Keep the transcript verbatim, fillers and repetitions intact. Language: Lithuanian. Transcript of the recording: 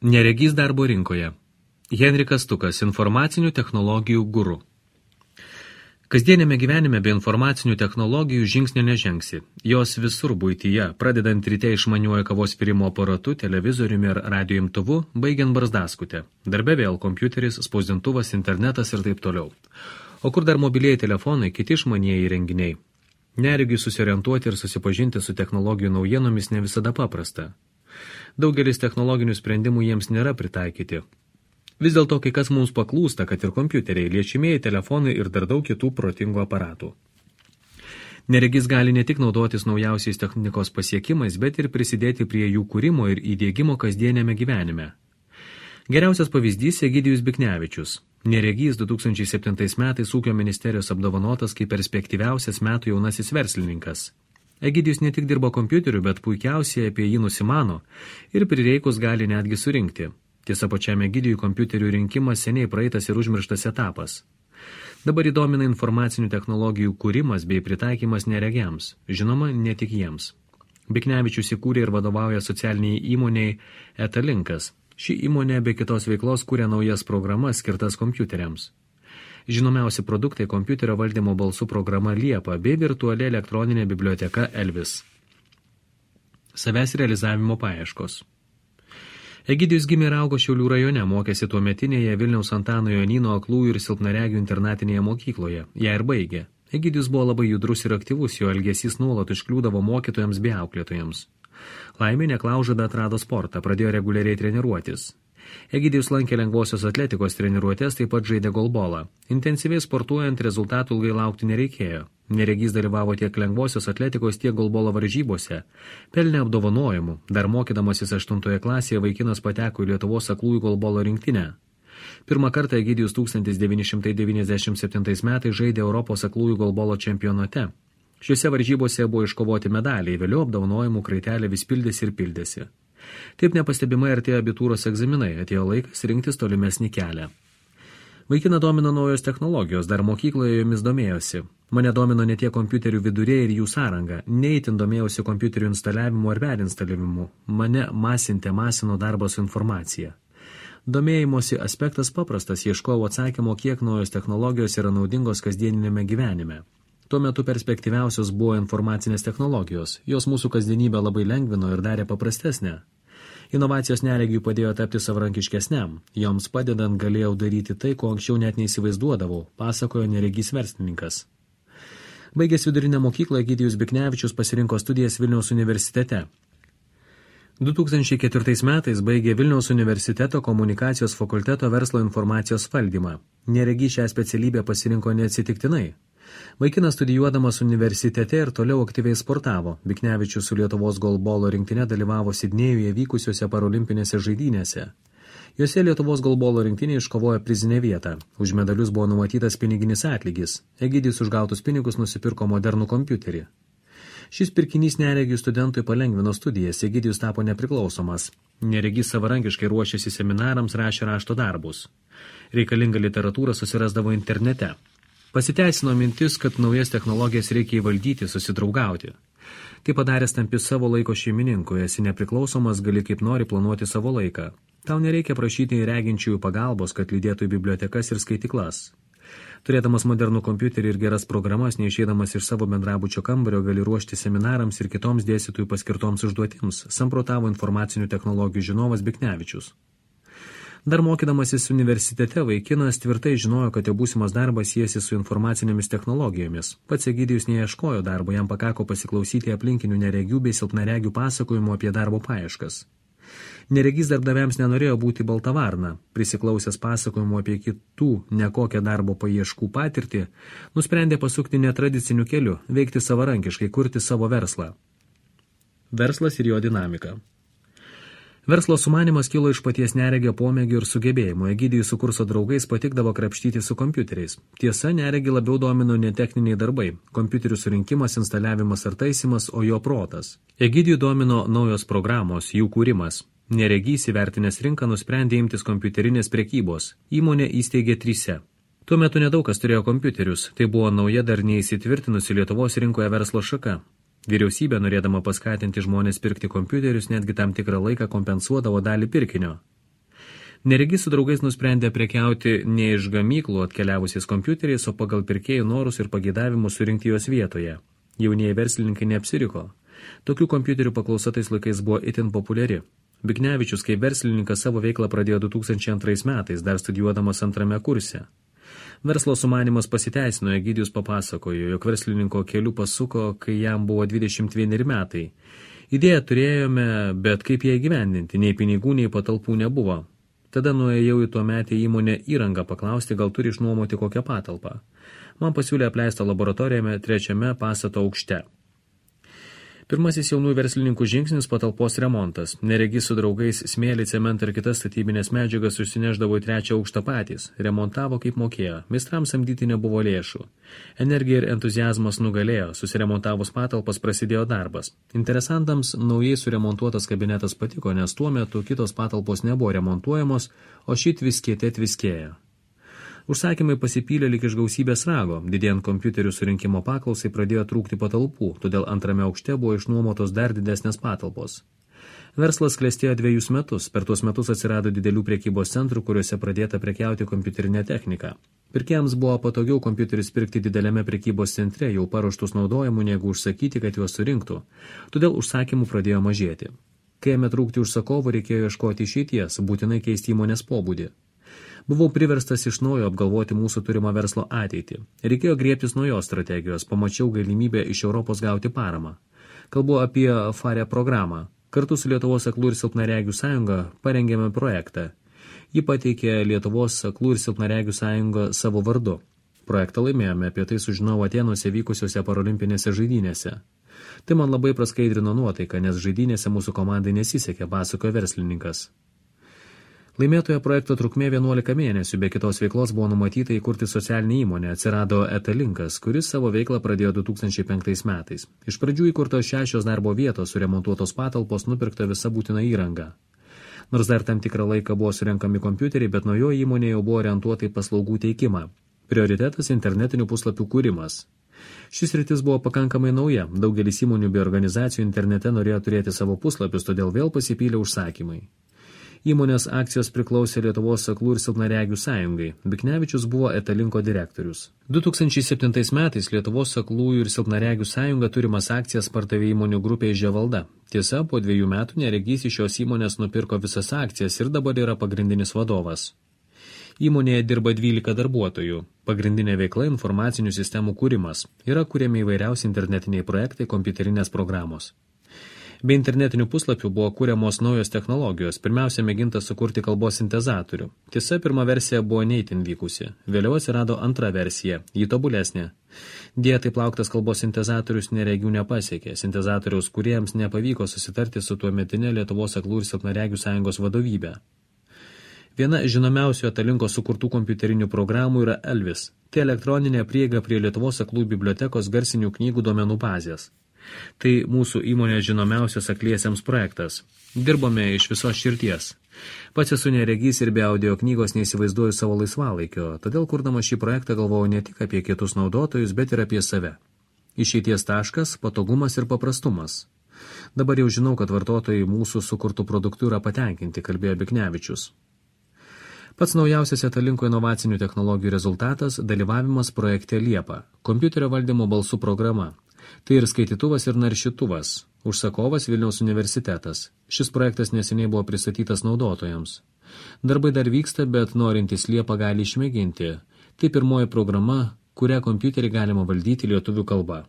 Neregys darbo rinkoje. Henrikas Stukas, informacinių technologijų guru. Kasdienėme gyvenime be informacinių technologijų žingsnio nežengsi. Jos visur buityje, pradedant ryte išmaniuoju kavos virimo aparatu, televizoriumi ar radio imtuvu, baigiant barzdaskutę. Darbe vėl kompiuteris, spausdintuvas, internetas ir taip toliau. O kur dar mobilieji telefonai, kiti išmanieji įrenginiai. Neregiui susiorientuoti ir susipažinti su technologijų naujienomis ne visada paprasta. Daugelis technologinių sprendimų jiems nėra pritaikyti. Vis dėlto kai kas mums paklūsta, kad ir kompiuteriai, liečiamieji telefonai ir dar daug kitų protingų aparatų. Neregys gali ne tik naudotis naujausiais technikos pasiekimais, bet ir prisidėti prie jų kūrimo ir įdiegimo kasdienėme gyvenime. Geriausias pavyzdys Egidijus Biknevičius. Neregys du tūkstančiai septintais metais ūkio ministerijos apdovanotas kaip perspektyviausias metų jaunasis verslininkas. Egidijus ne tik dirba kompiuteriu, bet puikiausiai apie jį nusimano ir prireikus gali netgi surinkti. Tiesa, pačiam Egidijui kompiuterių rinkimas seniai praeitas ir užmirštas etapas. Dabar įdomina informacinių technologijų kūrimas bei pritaikymas neregiams, žinoma, ne tik jiems. Biknevičius įkūrė ir vadovauja socialiniai įmoniai Etalinkas. Ši įmonė be kitos veiklos kūrė naujas programas skirtas kompiuteriams. Žinomiausi produktai kompiuterio valdymo balsų programa Liepa bei virtuali elektroninė biblioteka Elvis. Savęs realizavimo paieškos. Egidijus gimė ir augo Šiaulių rajone, mokėsi tuometinėje Vilniaus Antano Jonyno aklųjų ir silpnaregių internatinėje mokykloje. Ją ir baigė. Egidijus buvo labai judrus ir aktyvus, jo elgesys nuolat iškliūdavo mokytojams bei auklėtojams. Laimė neklaužada atrado sportą, pradėjo reguliariai treniruotis. Egidijus lankė lengvosios atletikos treniruotės, taip pat žaidė golbolą. Intensyviai sportuojant rezultatų ilgai laukti nereikėjo. Neregys dalyvavo tiek lengvosios atletikos, tiek golbolo varžybose. Pelnė apdovanojimų. Dar mokydamasis aštuntoje klasėje vaikinas pateko į Lietuvos aklųjų golbolo rinktinę. Pirmą kartą Egidijus tūkstantis devyni šimtai devyniasdešimt septintais metais žaidė Europos aklųjų golbolo čempionate. Šiuose varžybose buvo iškovoti medaliai, vėliau apdovanojimų kraitelė vis pildėsi ir pildėsi. Taip nepastebimai artėjo abitūros egzaminai, atėjo laikas rinktis tolimesnį kelią. Vaikiną domino naujos technologijos, dar mokykloje jomis domėjosi. Mane domino ne tie kompiuterių viduriai ir jų sąranga, neįtin domėjausi kompiuterių instaliavimu ar perinstaliavimu. Mane masintė masino darbas su informacija. Domėjimosi aspektas paprastas, ieškojau atsakymo, kiek naujos technologijos yra naudingos kasdieninėme gyvenime. Tuo metu perspektyviausios buvo informacinės technologijos, jos mūsų kasdienybę labai lengvino ir darė paprastesnę. Inovacijos neregiui padėjo tapti savarankiškesniam, joms padedant galėjau daryti tai, ko anksčiau net neįsivaizduodavau, pasakojo neregys verslininkas. Baigęs vidurinę mokyklą, Egidijus Biknevičius pasirinko studijas Vilniaus universitete. du tūkstančiai ketvirtais metais baigė Vilniaus universiteto komunikacijos fakulteto verslo informacijos valdymą. Neregys šią specialybę pasirinko neatsitiktinai. Vaikinas studijuodamas universitete ir toliau aktyviai sportavo. Biknevičius su Lietuvos golbolo rinktine dalyvavo Sidnėjuje vykusiuose parolimpinėse žaidynėse. Juose Lietuvos golbolo rinktinė iškovojo prizinę vietą. Už medalius buvo numatytas piniginis atlygis. Egidijus už gautus pinigus nusipirko modernų kompiuterį. Šis pirkinys neregių studentui palengvino studijas, Egidijus tapo nepriklausomas. Neregys savarankiškai ruošėsi seminarams, rašė rašto darbus. Reikalingą literatūrą susirasdavo internete. Pasiteisino mintis, kad naujas technologijas reikia įvaldyti, susidraugauti. Tai padaręs tampi savo laiko šeimininku, esi nepriklausomas, gali kaip nori planuoti savo laiką. Tau nereikia prašyti reginčiųjų pagalbos, kad lydėtų į bibliotekas ir skaitiklas. Turėdamas modernų kompiuterį ir geras programas, neišeidamas iš savo bendrabučio kambario, gali ruošti seminarams ir kitoms dėstytojų paskirtoms užduotims, samprotavo informacinių technologijų žinovas Biknevičius. Dar mokydamasis universitete vaikinas tvirtai žinojo, kad jo būsimas darbas siejasi su informacinėmis technologijomis. Pats Egidijus neieškojo darbo, jam pakako pasiklausyti aplinkinių neregių bei silpnaregių pasakojimų apie darbo paieškas. Neregys darbdaviams nenorėjo būti balta varna. Prisiklausęs pasakojimų apie kitų nekokią darbo paieškų patirtį, nusprendė pasukti netradiciniu keliu, veikti savarankiškai, kurti savo verslą. Verslas ir jo dinamika. Verslo sumanymas kilo iš paties neregio pomėgių ir sugebėjimų. Egidijus su kurso draugais patikdavo krapštyti su kompiuteriais. Tiesa, neregį labiau domino ne techniniai darbai, kompiuterių surinkimas, instaliavimas ar taisymas, o jo protas. Egidijų domino naujos programos, jų kūrimas. Neregys įvertinęs rinką nusprendė imtis kompiuterinės prekybos. Įmonė įsteigė trise. Tuo metu nedaug kas turėjo kompiuterius, tai buvo nauja dar neįsitvirtinusi Lietuvos rinkoje verslo šaka. Vyriausybė, norėdama paskatinti žmonės pirkti kompiuterius, netgi tam tikrą laiką kompensuodavo dalį pirkinio. Neregys su draugais nusprendė prekiauti ne iš gamyklų atkeliavusiais kompiuteriais, o pagal pirkėjų norus ir pageidavimus surinkti juos vietoje. Jaunieji verslininkai neapsiriko. Tokių kompiuterių paklausa tais laikais buvo itin populiari. Biknevičius kaip verslininkas savo veiklą pradėjo du tūkstančiai antrais metais, dar studijuodamas antrame kurse. Verslo sumanymas pasiteisino, Egidijus papasakojo, jog verslininko keliu pasuko, kai jam buvo dvidešimt vieneri metai. Idėją turėjome, bet kaip ją įgyvendinti, nei pinigų, nei patalpų nebuvo. Tada nuėjau į tuometę įmonę įrangą paklausti, gal turi išnuomoti kokią patalpą. Man pasiūlė apleistą laboratoriją trečiame pastato aukšte. Pirmasis jaunų verslininkų žingsnis – patalpos remontas. Neregys su draugais smėlį, cementą ir kitas statybinės medžiagas užsineždavo į trečią aukštą patys. Remontavo kaip mokėjo. Meistrams samdyti nebuvo lėšų. Energija ir entuziazmas nugalėjo. Susiremontavus patalpas prasidėjo darbas. Interesantams naujai suremontuotas kabinetas patiko, nes tuo metu kitos patalpos nebuvo remontuojamos, o šit viskėte tviskėjo. Užsakymai pasipylė lyg iš gausybės rago. Didėjant kompiuterių surinkimo paklausai pradėjo trūkti patalpų, todėl antrame aukšte buvo išnuomotos dar didesnės patalpos. Verslas klestėjo dviejus metus. Per tuos metus atsirado didelių prekybos centrų, kuriuose pradėta prekiauti kompiuterinę techniką. Pirkėjams buvo patogiau kompiuterius pirkti dideliame prekybos centre, jau paruoštus naudojimų, negu užsakyti, kad juos surinktų. Todėl užsakymų pradėjo mažėti. Kai ėmė trūkti užsakovų, reikėjo ieškoti išeities, būtinai keisti įmonės pobūdį. Buvau priverstas iš naujo apgalvoti mūsų turimą verslo ateitį. Reikėjo griebtis naujos strategijos, pamačiau galimybę iš Europos gauti paramą. Kalbu apie FARE programą. Kartu su Lietuvos aklų ir silpnaregių sąjunga parengėme projektą. Ji pateikė Lietuvos aklų ir silpnaregių sąjungą savo vardu. Projektą laimėjome, apie tai sužinau Atėnuose vykusiuose parolimpinėse žaidynėse. Tai man labai praskaidrino nuotaiką, nes žaidynėse mūsų komandai nesisekė, pasakojo verslininkas. Laimėtojo projekto trukmė vienuolika mėnesių, be kitos veiklos buvo numatyta įkurti socialinį įmonę, atsirado Etalinkas, kuris savo veiklą pradėjo du tūkstančiai penktais metais. Iš pradžių įkurtos šešios darbo vietos, suremontuotos patalpos, nupirkta visa būtina įranga. Nors dar tam tikrą laiką buvo surenkami kompiuteriai, bet naujoji įmonė jau buvo orientuota į paslaugų teikimą. Prioritetas internetinių puslapių kūrimas. Šis rytis buvo pakankamai nauja, daugelis įmonių bei organizacijų internete norėjo turėti savo puslapius, todėl vėl pasipylė užsakymai. Įmonės akcijos priklausė Lietuvos aklų ir silpnaregių sąjungai. Biknevičius buvo Etalinko direktorius. du tūkstančiai septintais metais Lietuvos aklųjų ir silpnaregių sąjunga turimas akcijas pardavė įmonių grupė Ževalda. Tiesa, po dviejų metų neregys iš šios įmonės nupirko visas akcijas ir dabar yra pagrindinis vadovas. Įmonėje dirba dvylika darbuotojų. Pagrindinė veikla informacinių sistemų kūrimas. Yra kuriami įvairiausi internetiniai projektai, kompiuterinės programos. Be internetinių puslapių buvo kūriamos naujos technologijos, pirmiausia mėginta sukurti kalbos sintezatorių. Tiesa, pirma versija buvo neįtin vykusi. Vėliau atsirado antra versija, ji tobulesnė. Dėja, taip lauktas kalbos sintezatorius neregių nepasiekė. Sintezatoriaus kūrėjams nepavyko susitarti su tuometinė Lietuvos aklų ir silpnaregių sąjungos vadovybė. Viena žinomiausių Etalinko sukurtų kompiuterinių programų yra Elvis. Tai elektroninė prieiga prie Lietuvos aklų bibliotekos garsinių knygų duomenų bazės. Tai mūsų įmonės žinomiausias akliesiems projektas. Dirbome iš visos širties. Pats esu neregys ir be audio knygos neįsivaizduoju savo laisvalaikio, todėl kurdama šį projektą galvojau ne tik apie kitus naudotojus, bet ir apie save. Išeities taškas, patogumas ir paprastumas. Dabar jau žinau, kad vartotojai mūsų sukurtų produktų yra patenkinti, kalbėjo Biknevičius. Pats naujausias Etalinko inovacinių technologijų rezultatas – dalyvavimas projekte Liepa, kompiuterio valdymo balsų programa. Tai ir skaitytuvas ir naršytuvas. Užsakovas Vilniaus universitetas. Šis projektas neseniai buvo pristatytas naudotojams. Darbai dar vyksta, bet norintys Liepą gali išmėginti. Tai pirmoji programa, kurią kompiuterį galima valdyti lietuvių kalba.